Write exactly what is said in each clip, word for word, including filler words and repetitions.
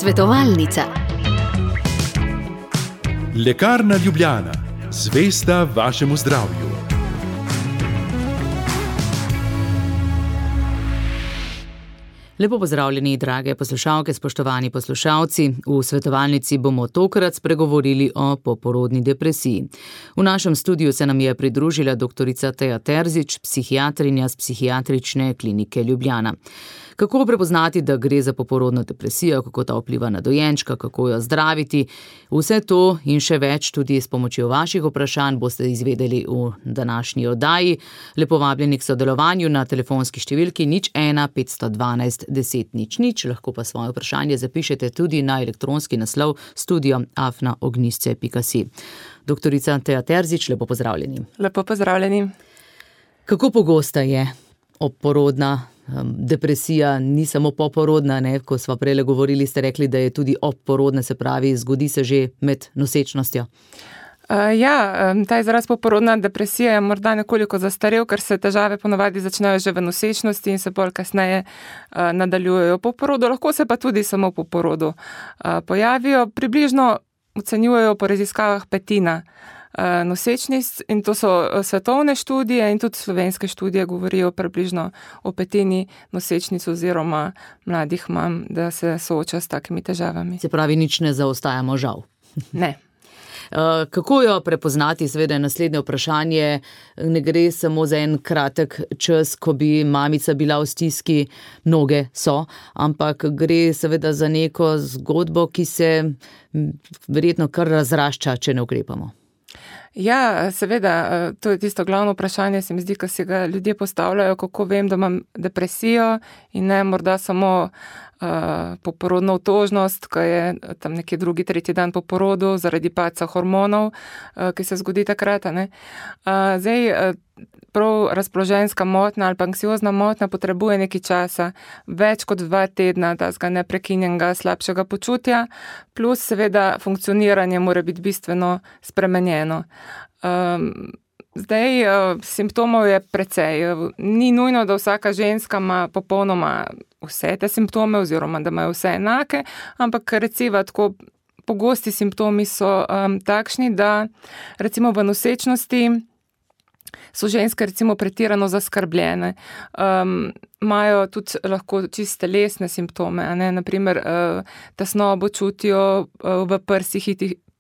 Svetovalnica. Lekarna Ljubljana, zvesta vašemu zdravju. Lepo pozdravljeni, drage poslušalke, spoštovani poslušalci. V svetovalnici bomo tokrat spregovorili o poporodni depresiji. V našem studiu se nam je pridružila doktorica Teja Terzič, psihiatrinja z Psihiatrične klinike Ljubljana. Kako prepoznati, da gre za poporodno depresijo, kako ta vpliva na dojenčka, kako jo zdraviti? Vse to in še več tudi s pomočjo vaših vprašanj boste izvedeli v današnji oddaji. Lepo vabljeni k sodelovanju na telefonski številki nič ena petsto dvanajst deset nič nič, lahko pa svoje vprašanje zapišete tudi na elektronski naslov studio afna ognjišče pika si. Doktorica Teja Terzič, lepo pozdravljeni. Lepo pozdravljeni. Kako pogosta je obporodna depresija? Ni samo poporodna, ne? Ko sva prejle govorili, ste rekli, da je tudi obporodna, se pravi, zgodi se že med nosečnostjo. Uh, ja, ta izraz poporodna depresija je morda nekoliko zastarel, ker se težave ponavadi začnejo že v nosečnosti in se bolj kasneje uh, nadaljujejo po porodu, lahko se pa tudi samo po porodu uh, pojavijo. Približno ocenjujejo po raziskavah petina uh, nosečnic in to so svetovne študije in tudi slovenske študije govorijo približno o petini nosečnic oziroma mladih mam, da se sooča s takimi težavami. Se pravi, nič ne zaostajamo, žal. Ne. Kako jo prepoznati, seveda je naslednje vprašanje, ne gre samo za en kratek čas, ko bi mamica bila v stiski, mnoge so, ampak gre seveda za neko zgodbo, ki se verjetno kar razrašča, če ne ukrepamo. Ja, seveda, to je tisto glavno vprašanje, se mi zdi, ko si ga ljudje postavljajo, kako vem, da imam depresijo in ne morda samo uh, poporodno otožnost, ko je tam neki drugi, tretji dan po porodu zaradi padca hormonov, uh, ki se zgodi takrat. Ne? Uh, zdaj, uh, prav razpoloženjska motnja ali pa anksiozna motnja potrebuje nekaj časa, več kot dva tedna tazga neprekinjenega slabšega počutja, plus seveda funkcioniranje mora biti bistveno spremenjeno. Um, zdaj, uh, simptomov je precej. Ni nujno, da vsaka ženska ima popolnoma vse te simptome oziroma da imajo vse enake, ampak recimo tako pogosti simptomi so um, takšni, da recimo v nosečnosti so ženske recimo pretirano zaskrbljene, um, imajo tudi lahko čiste telesne simptome, a ne, naprimer uh, tesnobo čutijo uh, v prsih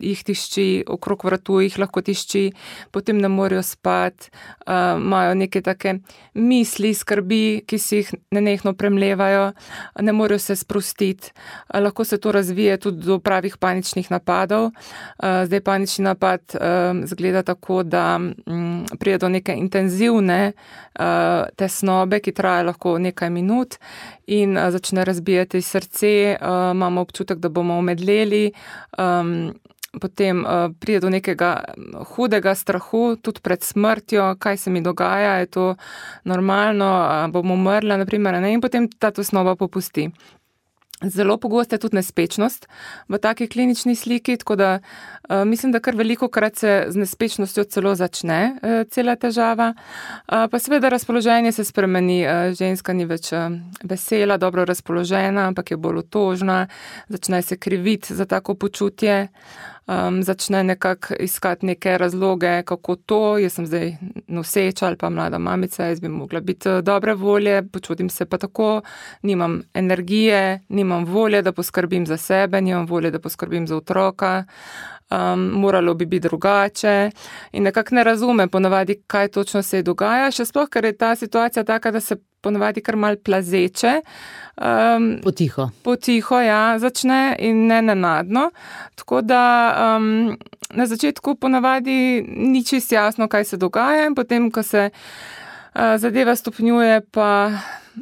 jih tišči, okrog vratu jih lahko tišči, potem ne morejo spati, uh, imajo neke take misli, skrbi, ki si jih nenehno premlevajo, ne morejo se sprostiti, uh, lahko se to razvije tudi do pravih paničnih napadov. Uh, zdaj panični napad uh, zgleda tako, da um, pride do neke intenzivne uh, tesnobe, ki traja lahko nekaj minut in uh, začne razbijati srce, uh, imamo občutek, da bomo omedleli, um, potem uh, pride do nekega hudega strahu, tudi pred smrtjo, kaj se mi dogaja, je to normalno, uh, bom umrla, naprimer, ne? In potem ta tesnoba popusti. Zelo pogosta je tudi nespečnost v taki klinični sliki, tako da uh, mislim, da kar veliko krat se z nespečnostjo celo začne uh, cela težava. Uh, pa seveda razpoloženje se spremeni, uh, ženska ni več uh, vesela, dobro razpoložena, ampak je bolj otožna, začne se kriviti za tako počutje. Um, začne nekako iskati neke razloge, kako to, jaz sem zdaj noseča ali pa mlada mamica, jaz bi mogla biti dobre volje, počutim se pa tako, nimam energije, nimam volje, da poskrbim za sebe, nimam volje, da poskrbim za otroka, um, moralo bi biti drugače in nekako ne razume ponavadi, kaj točno se dogaja, še sploh, ker je ta situacija taka, da se ponavadi kar mal plazeče. Um, potiho. Potiho, ja, začne in ne nenadno. Tako da um, na začetku ponavadi ni čisto jasno, kaj se dogaja in potem, ko se uh, zadeva stopnjuje, pa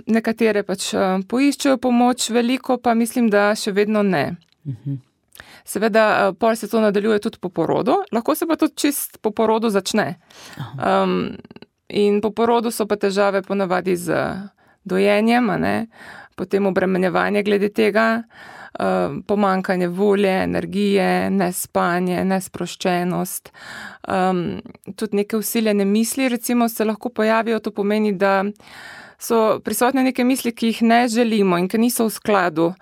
nekatere pač uh, poiščejo pomoč, veliko pa mislim, da še vedno ne. Uh-huh. Seveda, uh, pol se to nadaljuje tudi po porodu, lahko se pa tudi čist po porodu začne. Um, In po porodu so pa težave ponavadi z dojenjem, a ne? Potem obremenjevanje glede tega, pomanjkanje volje, energije, nespanje, nesproščenost, um, tudi neke vsiljene misli recimo se lahko pojavijo, to pomeni, da so prisotne neke misli, ki jih ne želimo in ki niso v skladu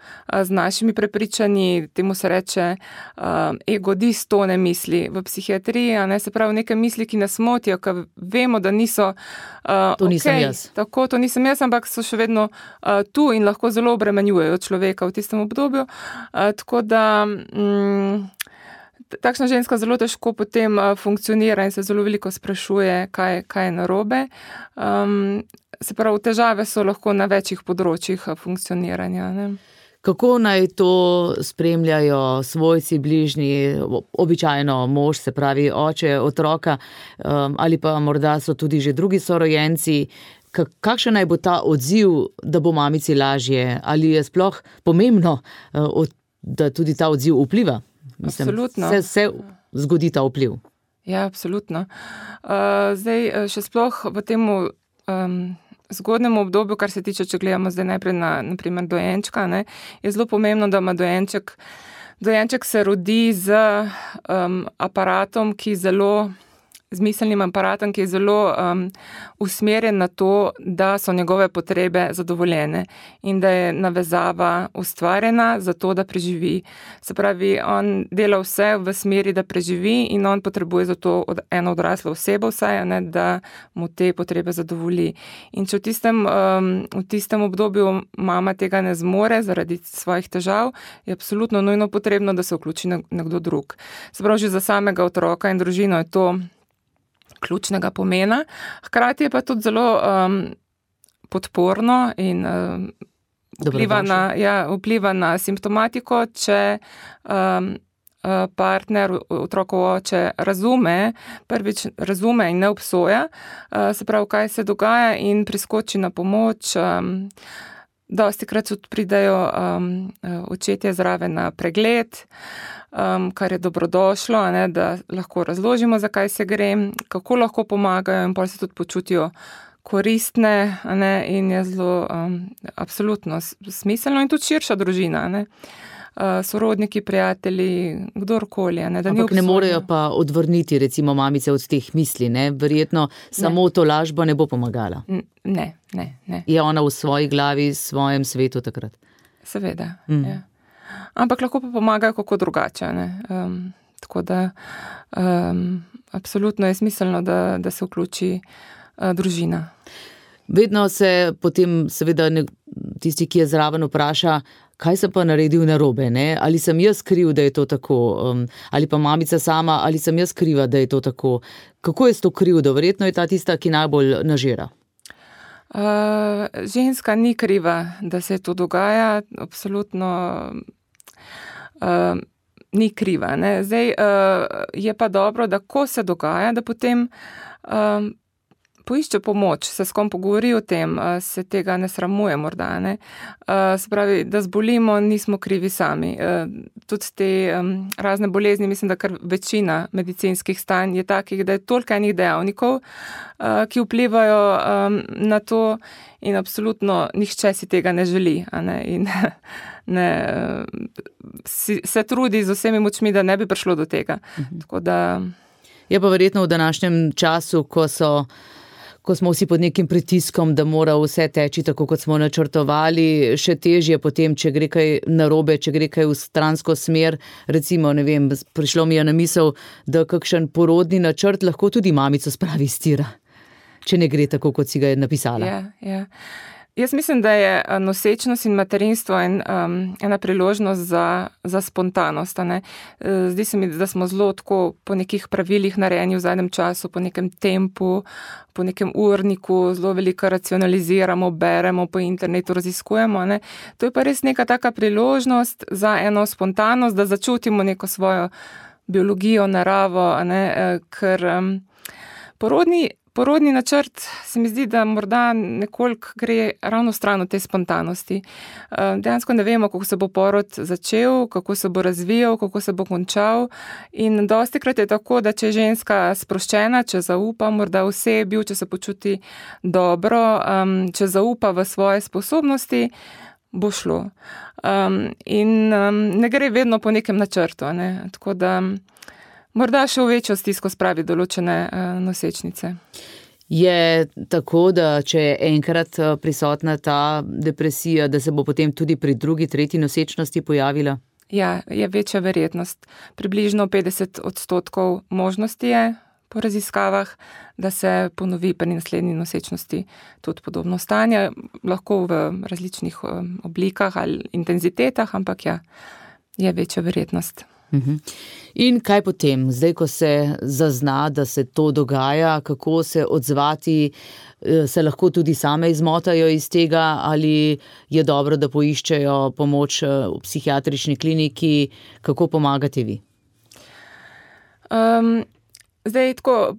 z našimi prepričanji, temu se reče um, ego distone misli v psihiatriji, a ne, se pravi neke misli, ki nas motijo, ki vemo, da niso uh, to nisem okay, jaz. Tako, to nisem jaz, ampak so še vedno uh, tu in lahko zelo obremenjujejo človeka v tistem obdobju. Uh, tako da mm, takšna ženska zelo težko potem uh, funkcionira in se zelo veliko sprašuje, kaj, kaj je narobe. Um, se pravi, težave so lahko na večjih področjih uh, funkcioniranja. Ne? Kako naj to spremljajo svojci, bližnji, običajno mož, se pravi oče, otroka, um, ali pa morda so tudi že drugi sorojenci? Kakšen naj bo ta odziv, da bo mamici lažje? Ali je sploh pomembno, da tudi ta odziv vpliva? Mislim, absolutno. Se, se zgodi ta vpliv. Ja, absolutno. Uh, zdaj, še sploh v tem um, zgodnem obdobju, kar se tiče, če gledamo zdaj najprej na, na primer dojenčka, ne, je zelo pomembno, da ima dojenček, dojenček se rodi z um, aparatom, ki zelo z miselnim aparatom, ki je zelo um, usmerjen na to, da so njegove potrebe zadovoljene in da je navezava ustvarjena za to, da preživi. Se pravi, on dela vse v smeri, da preživi in on potrebuje za to od, eno odraslo osebo vsaj, ne, da mu te potrebe zadovolji. In če v tistem, um, v tistem obdobju mama tega ne zmore zaradi svojih težav, je absolutno nujno potrebno, da se vključi nekdo drug. Se pravi, že za samega otroka in družino je to ključnega pomena. Hkrati je pa tudi zelo um, podporno in um, vpliva, na, ja, vpliva na simptomatiko, če um, partner, otrokovo oče razume, prvič razume in ne obsoja, uh, se pravi, kaj se dogaja in priskoči na pomoč. Um, Dostikrat tudi pridajo um, očetje zraven na pregled, um, kar je dobrodošlo, ne, da lahko razložimo, zakaj se gre, kako lahko pomagajo in potem se tudi počutijo koristne, ne, in je zelo um, absolutno smiselno in tudi širša družina. Ne. Uh, sorodniki, prijatelji, kdorkoli. Ne, da Ampak ne morejo pa odvrniti recimo mamice od teh misli, ne? Verjetno samo ne. To lažba ne bo pomagala. Ne, ne, ne. Je ona v svoji glavi, v svojem svetu takrat? Seveda, mm. ja. Ampak lahko pa pomagajo kako drugače. Ne? Um, tako da um, absolutno je smiselno, da, da se vključi uh, družina. Vedno se potem seveda ne, tisti, ki je zraven, vpraša, kaj sem pa naredil narobe, ne? Ali sem jaz kriv, da je to tako, um, ali pa mamica sama, ali sem jaz kriva, da je to tako. Kako je s to krivdo? Verjetno je ta tista, ki najbolj nažira. Uh, ženska ni kriva, da se to dogaja, absolutno uh, ni kriva. Ne? Zdaj uh, je pa dobro, da ko se dogaja, da potem uh, poišče pomoč, se s kom pogovori o tem, se tega ne sramuje morda, ne. Se pravi, da zbolimo, nismo krivi sami. Tudi te razne bolezni, mislim, da kar večina medicinskih stanj je takih, da je toliko enih dejavnikov, ki vplivajo na to in absolutno nihče si tega ne želi, a ne, in ne, si, se trudi z vsemi močmi, da ne bi prišlo do tega. Mhm. Tako da... Je pa verjetno v današnjem času, ko so ko smo vsi pod nekim pritiskom, da mora vse teči tako, kot smo načrtovali, še težje potem, če gre kaj narobe, če gre kaj v stransko smer. Recimo, ne vem, prišlo mi je na misel, da kakšen porodni načrt lahko tudi mamico spravi iz tira, če ne gre tako, kot si ga je napisala. Ja, ja. Jaz mislim, da je nosečnost in materinstvo en, um, ena priložnost za, za spontanost. Ne? Zdi se mi, da smo zelo tako po nekih pravilih narejeni v zadnjem času, po nekem tempu, po nekem urniku, zelo veliko racionaliziramo, beremo po internetu, raziskujemo. Ne? To je pa res neka taka priložnost za eno spontanost, da začutimo neko svojo biologijo, naravo, ne? Ker um, porodni Porodni načrt se mi zdi, da morda nekoliko gre ravno stran od te spontanosti. Dejansko ne vemo, kako se bo porod začel, kako se bo razvijal, kako se bo končal in dostikrat je tako, da če je ženska sproščena, če zaupa morda osebi, če se počuti dobro, če zaupa v svoje sposobnosti, bo šlo. In ne gre vedno po nekem načrtu, ne? Tako da morda še v večjo stisko spravi določene uh, nosečnice. Je tako, da če je enkrat prisotna ta depresija, da se bo potem tudi pri drugi, tretji nosečnosti pojavila? Ja, je večja verjetnost. Približno petdeset odstotkov možnosti je po raziskavah, da se ponovi pri naslednji nosečnosti tudi podobno stanje, lahko v različnih oblikah ali intenzitetah, ampak ja, je večja verjetnost. In kaj potem, zdaj, ko se zazna, da se to dogaja, kako se odzvati, se lahko tudi same izmotajo iz tega, ali je dobro, da poiščejo pomoč v psihiatrični kliniki, kako pomagate vi? Um, Zdaj, tako,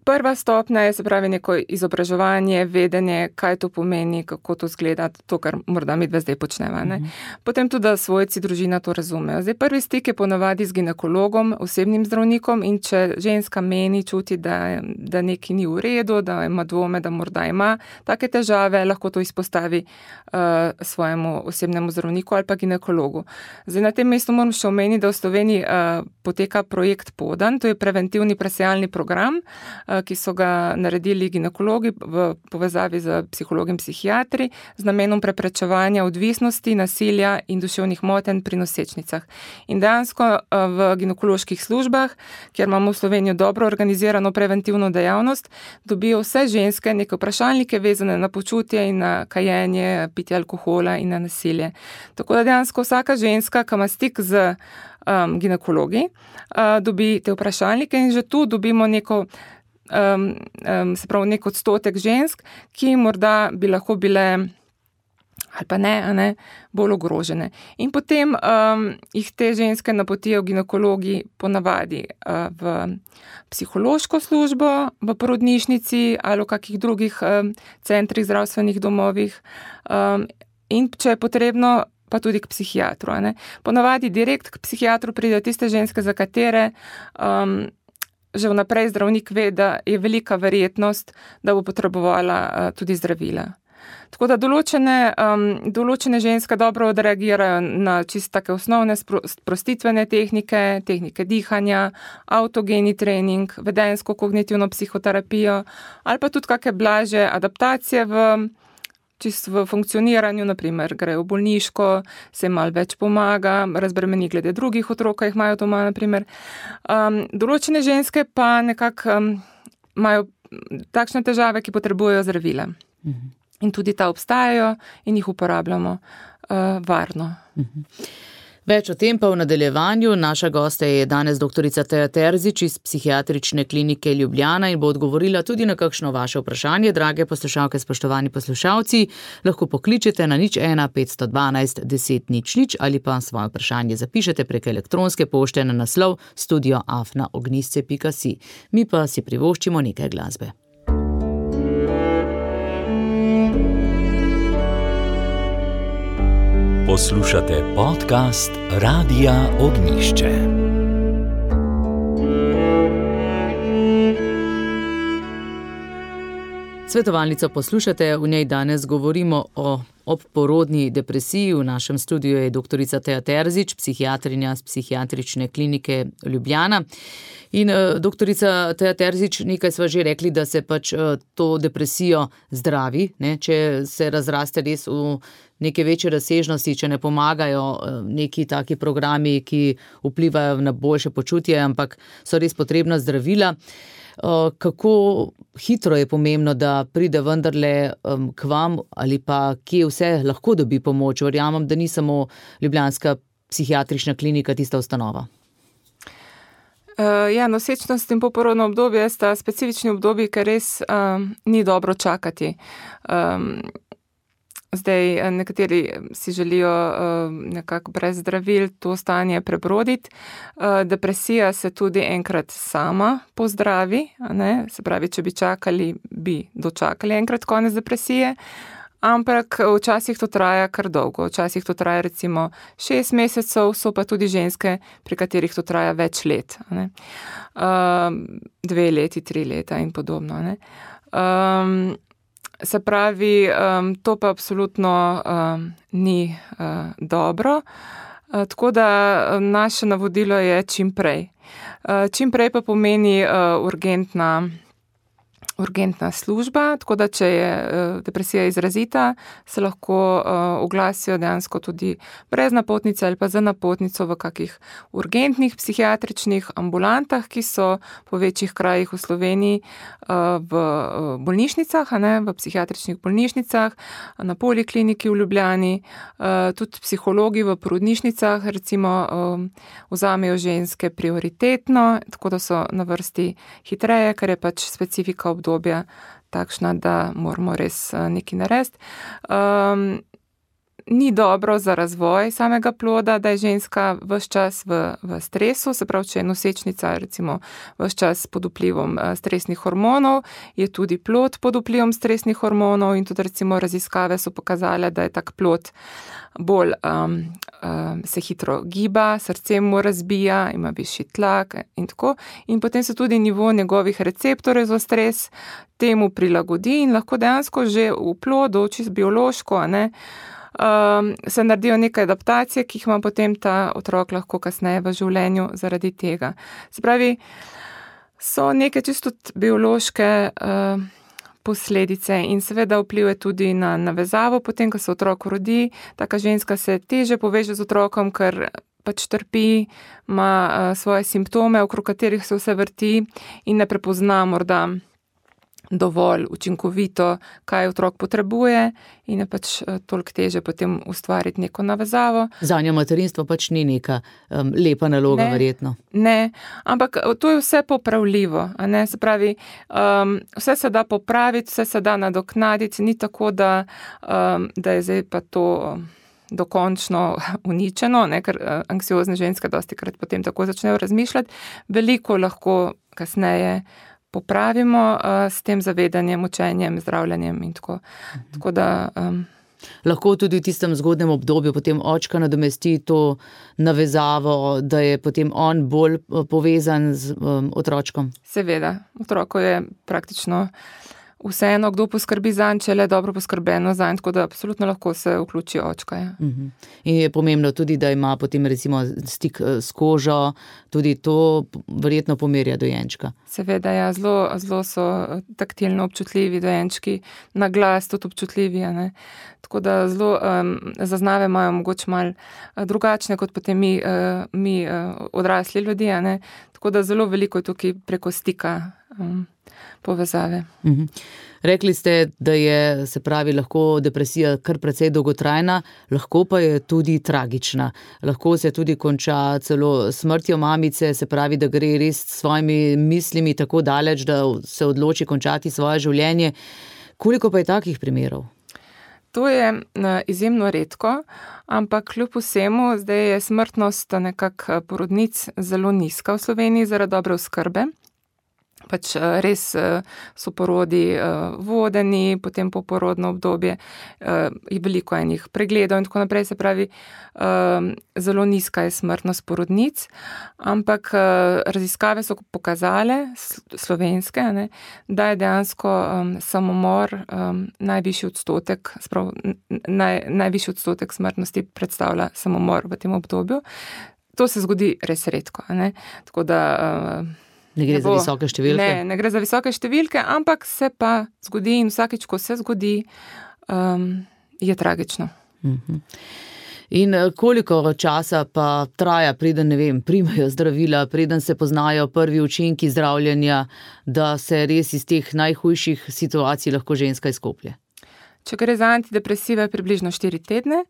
prva stopnja je, se pravi, neko izobraževanje, vedenje, kaj to pomeni, kako to zgleda, to, kar morda mi dve zdaj počneva. Ne? Mm-hmm. Potem tudi, da svojci, družina to razumejo. Zdaj, prvi stik je ponavadi z ginekologom, osebnim zdravnikom, in če ženska meni, čuti, da, da nekaj ni v redu, da ima dvome, da morda ima take težave, lahko to izpostavi uh, svojemu osebnemu zdravniku ali pa ginekologu. Zdaj, na tem mestu moram še omeniti, da v Sloveniji uh, poteka projekt Podan, to je preventivni presejanje program, ki so ga naredili ginekologi v povezavi z psihologi in psihiatri z namenom preprečevanja odvisnosti, nasilja in duševnih motenj pri nosečnicah. In dejansko v ginekoloških službah, kjer imamo v Sloveniji dobro organizirano preventivno dejavnost, dobijo vse ženske neke vprašalnike vezane na počutje in na kajenje, pitje alkohola in na nasilje. Tako da dejansko vsaka ženska, ki ima stik z Um, ginekologi, uh, dobi te vprašalnike in že tu dobimo neko, um, um, se pravi, nek odstotek žensk, ki morda bi lahko bile ali pa ne, a ne, bolj ogrožene. In potem um, jih te ženske napotijo ginekologi ponavadi uh, v psihološko službo, v porodnišnici ali v kakih drugih um, centrih, zdravstvenih domovih. Um, in če je potrebno, pa tudi k psihiatru. Ne. Ponavadi direkt k psihiatru pridejo tiste ženske, za katere um, že vnaprej zdravnik ve, da je velika verjetnost, da bo potrebovala uh, tudi zdravila. Tako da določene, um, določene ženske dobro odreagirajo na čisto take osnovne sprostitvene tehnike, tehnike dihanja, autogeni trening, vedenjsko kognitivno psihoterapijo ali pa tudi kakšne blažje adaptacije v čisto v funkcioniranju, naprimer grejo v bolniško, se malo več pomaga, razbremeni glede drugih otrok, ki jih imajo doma, naprimer. Um, določene ženske pa nekako um, imajo takšne težave, ki potrebujejo zdravila. Mhm. In tudi ta obstajajo in jih uporabljamo uh, varno. Mhm. Več o tem pa v nadaljevanju. Naša gosta je danes doktorica Teja Terzič iz Psihiatrične klinike Ljubljana in bo odgovorila tudi na kakšno vaše vprašanje. Drage poslušalke, spoštovani poslušalci, lahko pokličete na nič ena petsto dvanajst deset nič nič ali pa svoje vprašanje zapišete prek elektronske pošte na naslov studio afna ognjisce pika si. Mi pa si privoščimo nekaj glasbe. Poslušate podcast Radia Ognjišče. Svetovalnico poslušate, v njej danes govorimo o obporodni depresiji. V našem studiu je doktorica Teja Terzič, psihiatrinja z Psihiatrične klinike Ljubljana. In doktorica Teja Terzič, nekaj sva že rekli, da se pač to depresijo zdravi, ne? Če se razraste res v neke večje razsežnosti, če ne pomagajo neki taki programi, ki vplivajo na boljše počutje, ampak so res potrebna zdravila. Kako hitro je pomembno, da pride vendarle k vam ali pa kje vse lahko dobi pomoč? Verjamem, da ni samo ljubljanska psihiatrična klinika tista ustanova. Uh, ja, nosečnost in poporodno obdobje sta specifični obdobji, ker res um, ni dobro čakati. Um, Zdaj, nekateri si želijo uh, nekako brez zdravil to stanje prebroditi. Uh, depresija se tudi enkrat sama pozdravi, ne? Se pravi, če bi čakali, bi dočakali enkrat konec depresije, ampak včasih to traja kar dolgo. Včasih to traja recimo šest mesecev, so pa tudi ženske, pri katerih to traja več let. Ne? Uh, dve leti, tri leta in podobno. Ne? Um, Se pravi, um, to pa absolutno um, ni uh, dobro, uh, tako da naše navodilo je čim prej. Uh, čim prej pa pomeni uh, urgentna, urgentna služba, tako da če je depresija izrazita, se lahko oglasijo dejansko tudi brez napotnice ali pa za napotnico v kakih urgentnih psihiatričnih ambulantah, ki so po večjih krajih v Sloveniji v bolnišnicah, a ne, v psihiatričnih bolnišnicah, na Polikliniki v Ljubljani, tudi psihologi v porodnišnicah recimo vzamejo ženske prioritetno, tako da so na vrsti hitreje, ker je pač specifika obdobja obdobja takšna, da moramo res nekaj narediti. Um, ni dobro za razvoj samega ploda, da je ženska ves čas v, v stresu, se pravi, če je nosečnica recimo ves čas pod vplivom stresnih hormonov, je tudi plod pod vplivom stresnih hormonov in tudi recimo raziskave so pokazale, da je tak plod bolj um, um, se hitro giba, srce mu razbija, ima višji tlak in tako. In potem se tudi nivo njegovih receptorjev za stres temu prilagodi in lahko dejansko že v plodu, čisto biološko, a ne, um, se naredijo neke adaptacije, ki jih ima potem ta otrok lahko kasneje v življenju zaradi tega. Se pravi, so neke čisto biološke uh, posledice in seveda vpliv je tudi na navezavo, potem, ko se otrok rodi, taka ženska se teže poveže z otrokom, ker pač trpi, ima uh, svoje simptome, okrog katerih se vse vrti in ne prepozna morda dovolj učinkovito, kaj otrok potrebuje in je pač toliko teže potem ustvariti neko navezavo. Zanje materinstvo pač ni neka um, lepa naloga, ne, verjetno. Ne, ampak to je vse popravljivo, a ne, se pravi, um, vse se da popraviti, vse se da nadoknaditi, ni tako, da, um, da je zdaj pa to dokončno uničeno, ne, ker uh, anksiozne ženske dosti krat potem tako začnejo razmišljati, veliko lahko kasneje popravimo uh, s tem zavedanjem, učenjem, zdravljenjem in tako. Mhm. Tako da, um, lahko tudi v tistem zgodnem obdobju potem očka nadomesti to navezavo, da je potem on bolj povezan z um, otročkom. Seveda, otroko je praktično vseeno, kdo poskrbi zanj, če le dobro poskrbeno zanj, tako da absolutno lahko se vključi očka. Ja. Uh-huh. In je pomembno tudi, da ima potem recimo stik s kožo, tudi to verjetno pomerja dojenčka. Seveda, ja, zelo, zelo so taktilno občutljivi dojenčki, na glas tudi občutljivi, a ne. Tako da zelo um, zaznave imajo mogoče malo drugačne, kot potem mi, uh, mi uh, odrasli ljudje, a ne. Tako da zelo veliko je tukaj preko stika um, povezave. Mhm. Rekli ste, da je, se pravi, lahko depresija kar precej dolgotrajna, lahko pa je tudi tragična. Lahko se tudi konča celo smrtjo mamice, se pravi, da gre res s svojimi mislimi tako daleč, da se odloči končati svoje življenje. Koliko pa je takih primerov? To je izjemno redko, ampak kljub vsemu zdaj je smrtnost nekako porodnic zelo nizka v Sloveniji zaradi dobre oskrbe. Pač res so porodi vodeni, potem poporodno obdobje je veliko enih pregledov in tako naprej, se pravi, zelo nizka je smrtnost porodnic, ampak raziskave so pokazale, slovenske, ne, da je dejansko samomor najvišji odstotek, sprav, naj, najvišji odstotek smrtnosti predstavlja samomor v tem obdobju. To se zgodi res redko, ne, tako da Ne gre ne bo, za visoke številke? Ne, ne gre za visoke številke, ampak se pa zgodi in vsakič, ko se zgodi, um, je tragično. Uh-huh. In koliko časa pa traja, preden, ne vem, primajo zdravila, preden se poznajo prvi učinki zdravljenja, da se res iz teh najhujših situacij lahko ženska izkoplje? Če gre za antidepresive, približno štiri tedne.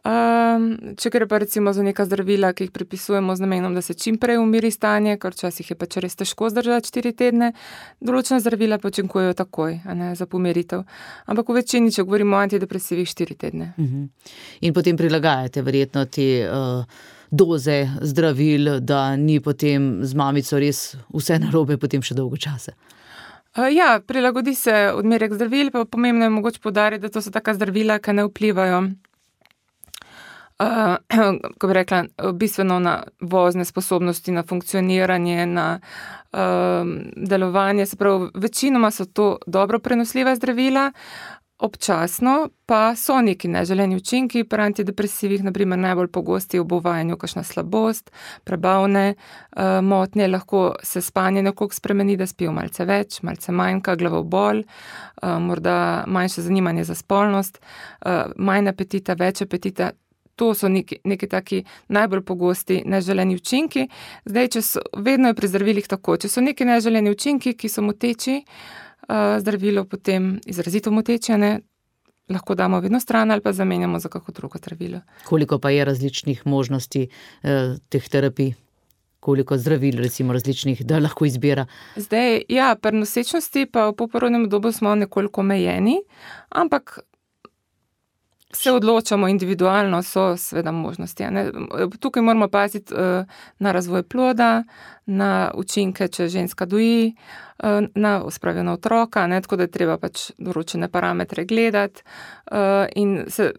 Um, če gre pa recimo za neka zdravila, ki jih pripisujemo z namenom, da se čim prej umiri stanje, ker včasih je pač res težko zdržati štiri tedne, določena zdravila pa učinkujejo takoj, a ne, za pomiritev. Ampak v večini, če govorimo o antidepresivih, štiri tedne. Uh-huh. In potem prilagajate verjetno te uh, doze zdravil, da ni potem z mamico res vse narobe potem še dolgo časa. Uh, ja, prilagodi se odmerek zdravil, pa pomembno je mogoče poudariti, da to so taka zdravila, ki ne vplivajo Uh, ko bi rekla, bistveno na vozne sposobnosti, na funkcioniranje, na uh, delovanje. Se pravi, večinoma so to dobro prenosljiva zdravila, Občasno pa so neki neželeni učinki pri antidepresivih, naprimer najbolj pogosti v obuvajanju kakšna slabost, prebavne uh, motnje, lahko se spanje nekoliko spremeni, da spijo malce več, malce manjka, glavobol, uh, morda manjše zanimanje za spolnost, uh, manj apetita, več apetita. To so neki, neki taki najbolj pogosti neželeni učinki. Zdaj, če so, vedno je pri zdravilih tako, če so neki neželeni učinki, ki so moteči, uh, zdravilo potem izrazito moteče, ne, lahko damo vedno stran ali pa zamenjamo za kako drugo zdravilo. Koliko pa je različnih možnosti eh, teh terapij? Koliko zdravil, recimo različnih, da lahko izbira? Zdaj, ja, pri nosečnosti pa v poporodnem obdobju smo nekoliko omejeni, ampak se odločamo individualno, so seveda možnosti. Ne? Tukaj moramo paziti uh, na razvoj ploda, na učinke, če ženska doji, uh, na spravijo na otroka, ne? Tako da je treba pač določene parametre gledati uh, in se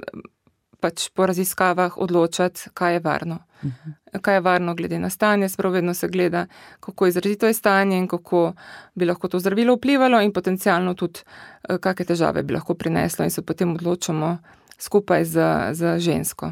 pač po raziskavah odločati, kaj je varno. Uh-huh. Kaj je varno glede na stanje, sprav vedno se gleda, kako izrazito je stanje in kako bi lahko to zdravilo vplivalo in potencialno tudi, uh, kakšne težave bi lahko prineslo in se potem odločamo skupaj z, z žensko.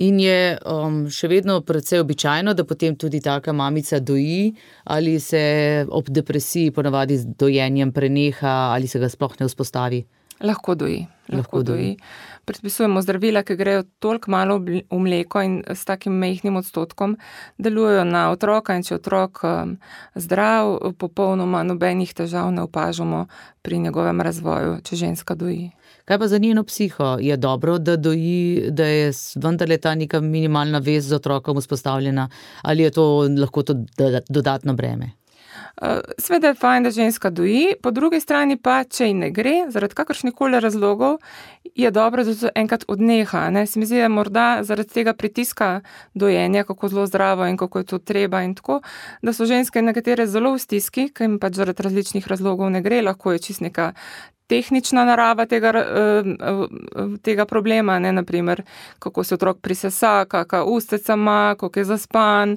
In je um, še vedno precej običajno, da potem tudi taka mamica doji, ali se ob depresiji ponavadi z dojenjem preneha, ali se ga sploh ne vzpostavi? Lahko doji. Lahko, Lahko doji. doji. Predpisujemo zdravila, ki grejo toliko malo v mleko in s takim majhnim odstotkom delujejo na otroka in če otrok um, zdrav, popolnoma nobenih težav ne opažamo pri njegovem razvoju, če ženska doji. Kaj pa za njeno psiho? Je dobro, da doji, da je vendarle ta neka minimalna vez z otrokom vzpostavljena, ali je to lahko to dodatno breme? Sveda je fajn, da ženska doji, po drugi strani pa, če ji ne gre, zaradi kakršnikoli razlogov, je dobro, da to enkrat odneha. Ne? Se mi zdi, da morda zaradi tega pritiska dojenja, kako zelo zdravo in kako je to treba in tako, da so ženske nekatere zelo v stiski, ker jim pač zaradi različnih razlogov ne gre, lahko je čist neka tehnična narava tega, tega problema, ne, naprimer, kako se otrok prisesa, kakšna ustnica ima, kako je zaspan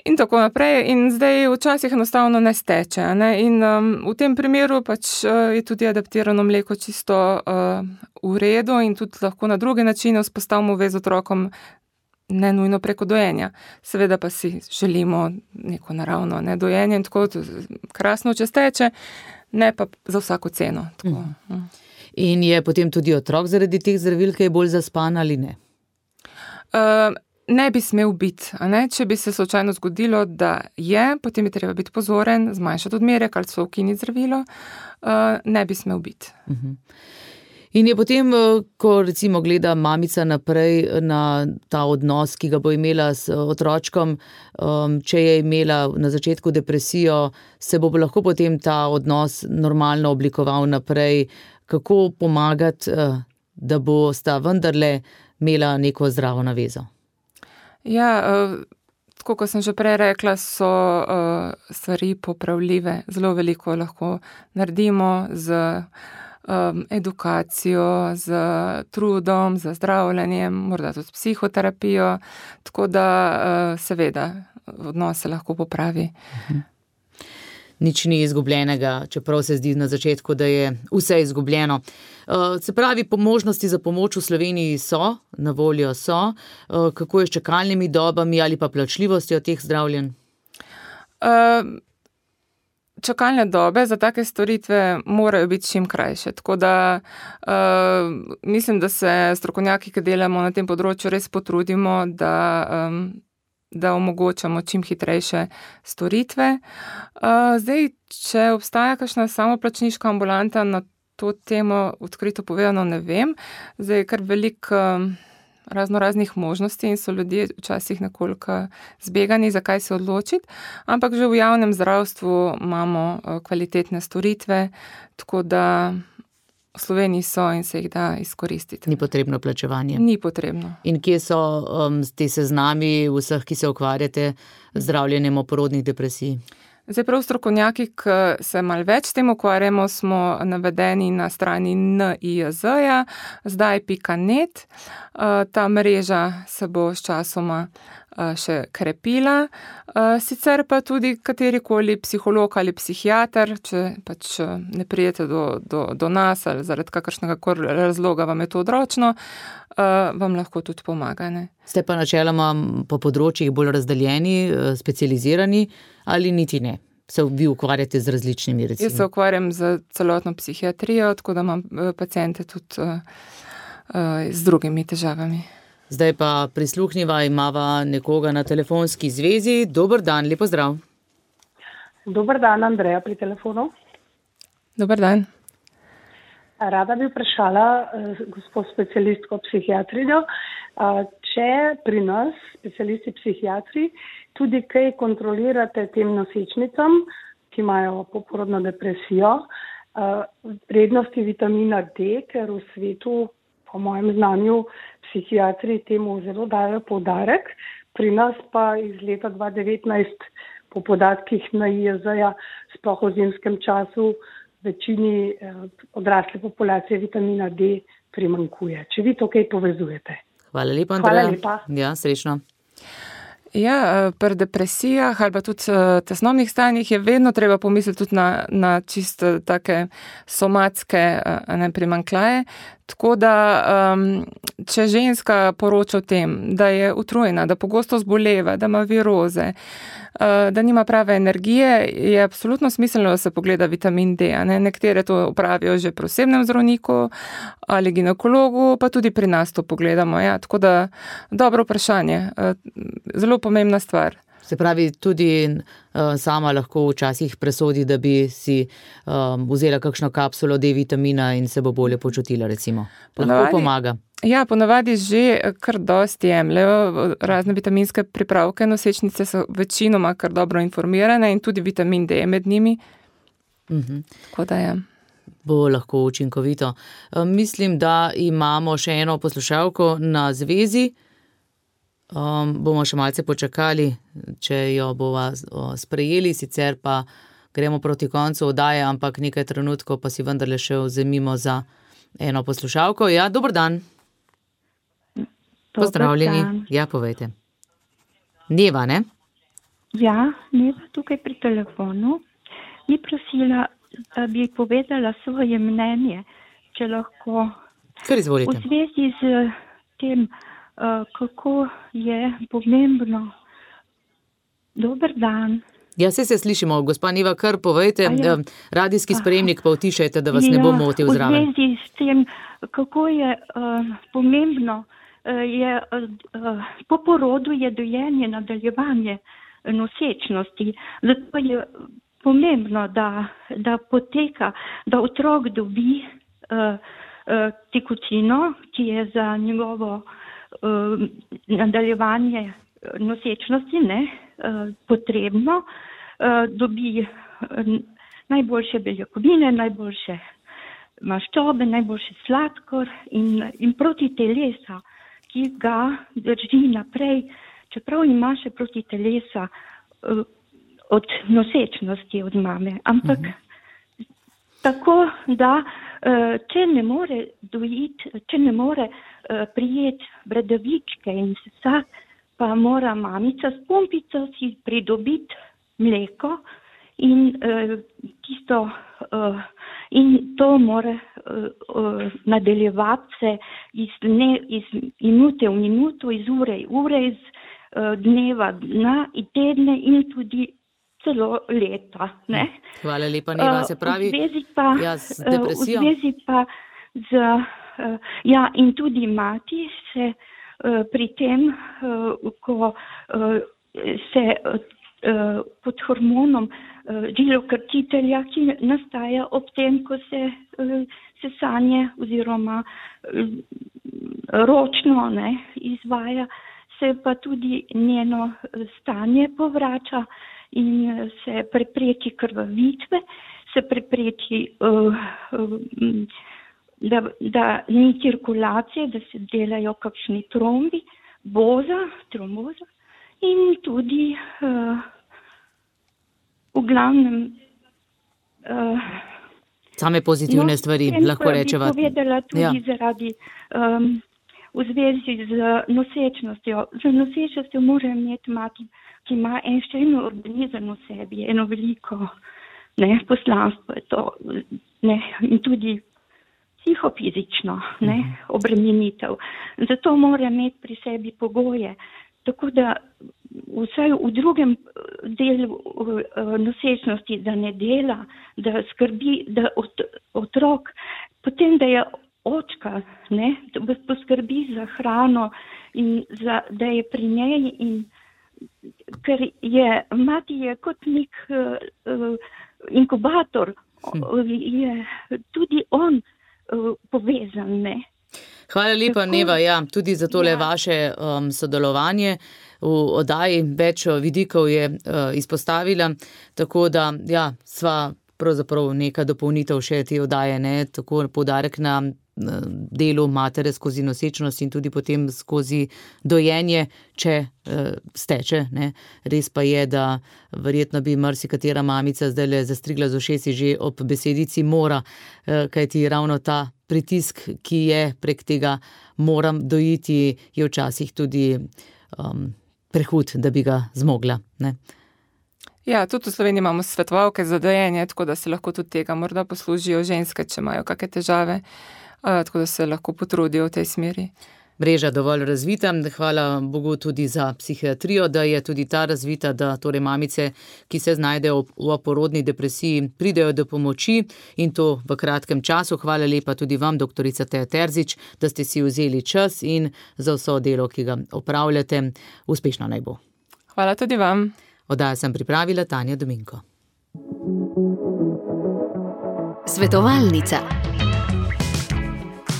in tako naprej. In zdaj včasih enostavno ne steče. Ne? In um, v tem primeru pač uh, je tudi adaptirano mleko čisto uh, v redu in tudi lahko na druge načine vzpostavimo vez z otrokom, ne nujno preko dojenja. Seveda pa si želimo neko naravno ne, dojenje in tako krasno, če steče, ne pa za vsako ceno. Tako. Mm. In je potem tudi otrok zaradi teh zdravil, ki je bolj zaspan ali ne? Uh, ne bi smel biti. A ne? Če bi se slučajno zgodilo, da je, potem je treba biti pozoren, zmanjšati odmerek ali so ukiniti zdravilo, uh, ne bi smel biti. Uh-huh. In je potem, ko recimo gleda mamica naprej na ta odnos, ki ga bo imela s otročkom, um, če je imela na začetku depresijo, se bo lahko potem ta odnos normalno oblikoval naprej, kako pomagati, da bo sta vendarle imela neko zdravo navezo? Ja, tako kot sem že prej rekla, so stvari popravljive. Zelo veliko lahko naredimo z Um, edukacijo, z trudom, z zdravljenjem, morda tudi psihoterapijo, tako da uh, seveda odnos se lahko popravi. Uh-huh. Nič ni izgubljenega, čeprav se zdi na začetku, da je vse izgubljeno. Uh, se pravi, po možnosti za pomoč v Sloveniji so, na voljo so, uh, kako je s čakalnimi dobami ali pa plačljivostjo teh zdravljenj? Uh, Čakalne dobe za take storitve morajo biti čim krajše, tako da uh, mislim, da se strokovnjaki, ki delamo na tem področju, res potrudimo, da, um, da omogočamo čim hitrejše storitve. Uh, zdaj, če obstaja kakšna samoplačniška ambulanta na to temo, odkrito povedano ne vem, zdaj je kar veliko um, razno raznih možnosti in so ljudje včasih nekoliko zbegani, zakaj se odločiti, ampak že v javnem zdravstvu imamo kvalitetne storitve, tako da v Sloveniji so in se jih da izkoristiti. Ni potrebno plačevanje? Ni potrebno. In kje so um, te seznami vseh, ki se ukvarjate z zdravljenjem oporodnih depresij? Zdaj prav strokovnjaki, ki se malo več s tem ukvarjamo, smo navedeni na strani N I J Z-ja, zdaj pika net. Ta mreža se bo s časoma še krepila. Sicer pa tudi katerikoli psiholog ali psihiater, če pač ne prijete do, do, do nas ali zaradi kakršnega razloga vam je to odročno, vam lahko tudi pomaga. Ne? Ste pa načeloma po področjih bolj razdeljeni, specializirani ali niti ne? Se vi ukvarjate z različnimi recimo? Jaz se ukvarjam z celotno psihiatrijo, tako da imam paciente tudi uh, uh, z drugimi težavami. Zdaj pa prisluhniva, imava nekoga na telefonski zvezi. Dober dan, lepo zdrav. Dober dan, Andreja pri telefonu. Dober dan. Rada bi vprašala uh, gospod specialistko psihiatrinjo, uh, če pri nas, specialisti psihiatri, tudi kaj kontrolirate tem nosečnicam, ki imajo poporodno depresijo, uh, vrednosti vitamina D, ker v svetu, po mojem znanju, psihiatri temu zelo dajo poudarek. Pri nas pa iz leta dva tisoč devetnajst po podatkih N I J Z-ja sploh v zimskem času večini eh, odrasle populacije vitamina D primanjkuje. Če vi to kaj povezujete. Hvala lepa, Andreja. Hvala lepa. Ja, srečno. Ja, pri depresijah ali pa tudi tesnobnih stanjih je vedno treba pomisliti tudi na, na čisto take somatske ne, primanjkljaje. Tako da, um, če ženska poroča o tem, da je utrujena, da pogosto zboleva, da ima viroze, uh, da nima prave energije, je absolutno smiselno, da se pogleda vitamin D. Ne? Nekatere to upravijo že pri osebnem zdravniku ali ginekologu, pa tudi pri nas to pogledamo. Ja? Tako da, dobro vprašanje. Uh, zelo pomembna stvar. Se pravi, tudi uh, sama lahko včasih presodi, da bi si um, vzela kakšno kapsulo D vitamina in se bo bolje počutila, recimo. Lahko ponavadi, pomaga. Ja, ponavadi že kar dosti jemljejo razne vitaminske pripravke. Nosečnice so večinoma kar dobro informirane in tudi vitamin D med njimi. Uh-huh. Tako da je. Bo lahko učinkovito. Um, mislim, da imamo še eno poslušalko na zvezi. Um, bomo še malce počakali, če jo bova sprejeli, sicer pa gremo proti koncu oddaje, ampak nekaj trenutkov pa si vendarle še vzemimo za eno poslušalko. Ja, dober dan. Pozdravljeni. Dan. Ja, povejte. Neva, ne? Ja, Neva tukaj pri telefonu. Bi prosila, da bi povedala svoje mnenje, če lahko. Kar izvolite. V zvezi z tem, Uh, kako je pomembno. Dober dan. Ja, se se slišimo, gospa Neva, kar povejte, ja. Radijski sprejemnik pa utišajte, da vas ja, ne bo motil zraven. V zvezi s tem, kako je uh, pomembno, uh, je uh, po porodu je dojenje nadaljevanje nosečnosti. Zato je pomembno, da, da poteka, da otrok dobi uh, uh, tekutino, ki je za njegovo Uh, nadaljevanje nosečnosti ne, uh, potrebno, uh, dobi uh, najboljše beljakovine, najboljše maščobe, najboljše sladkor in, in proti telesa, ki ga drži naprej, čeprav ima še proti telesa uh, od nosečnosti od mame. Ampak uh-huh. tako, da uh, če ne more dojiti, če ne more prijeti bradavičke in vsa, pa mora mamica s pumpico si pridobiti mleko in uh, tisto uh, in to mora uh, uh, nadaljevati se iz, dne, iz minute v minuto, iz ure v ure, iz uh, dneva na in tedne in tudi celo leta. Ne? Hvala lepa, Neva, se pravi, uh, v zvezi pa, ja, z depresijo. Uh, v zvezi pa z Uh, ja, in tudi mati se uh, pri tem, uh, ko uh, se uh, pod hormonom uh, žilokrtitelja, ki nastaja ob tem, ko se uh, sesanje oziroma uh, ročno ne, izvaja, se pa tudi njeno stanje povrača in se prepreči krvavitve, se prepreči uh, uh, Da, da ni cirkulacije, da se delajo kakšni trombi, boza, tromboza in tudi uh, v glavnem uh, same pozitivne no, stvari, tem, lahko rečeva. Bi povedala tudi ja. zaradi um, v zvezi z nosečnostjo. Z nosečnostjo mora imeti mati, ki ima en številni organizem v sebi, eno veliko ne, poslanstvo je to, ne, in tudi psihofizično ne, obremenitev. Zato mora imeti pri sebi pogoje. Tako da vsaj v drugem delu nosečnosti, da ne dela, da skrbi, da ot, otrok, potem da je očka, ne, da poskrbi za hrano in za, da je pri njej in ker je, mati je kot nek uh, inkubator, hm. je tudi on uh, povezan, ne. Hvala lepa, tako, Neva, ja, tudi za tole ja. vaše um, sodelovanje v oddaji. Več vidikov je uh, izpostavila, tako da, ja, sva pravzaprav neka dopolnitev še te oddaje, ne, tako poudarek na delu matere skozi nosečnost in tudi potem skozi dojenje, če uh, steče. Ne. Res pa je, da verjetno bi marsikatera mamica zdajle zastrigla z ušesi že ob besedici mora, uh, kajti ravno ta pritisk, ki je prek tega moram dojiti, je včasih tudi um, prehud, da bi ga zmogla. Ne. Ja, tudi v Sloveniji imamo svetovalke za dojenje, tako da se lahko tudi tega morda poslužijo ženske, če imajo kakšne težave. Tako da se lahko potrudijo v tej smeri. Mreža dovolj razvita, hvala Bogu tudi za psihiatrijo, da je tudi ta razvita, da torej mamice, ki se znajdejo v porodni depresiji, pridejo do pomoči in to v kratkem času. Hvala lepa tudi vam, doktorica Teja Terzič, da ste si vzeli čas in za vso delo, ki ga opravljate. Uspešno naj bo. Hvala tudi vam. Oddajo sem pripravila Tanja Dominko. Svetovalnica.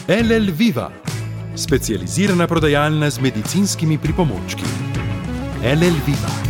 L L Viva, specializirana prodajalna z medicinskimi pripomočki. L L Viva.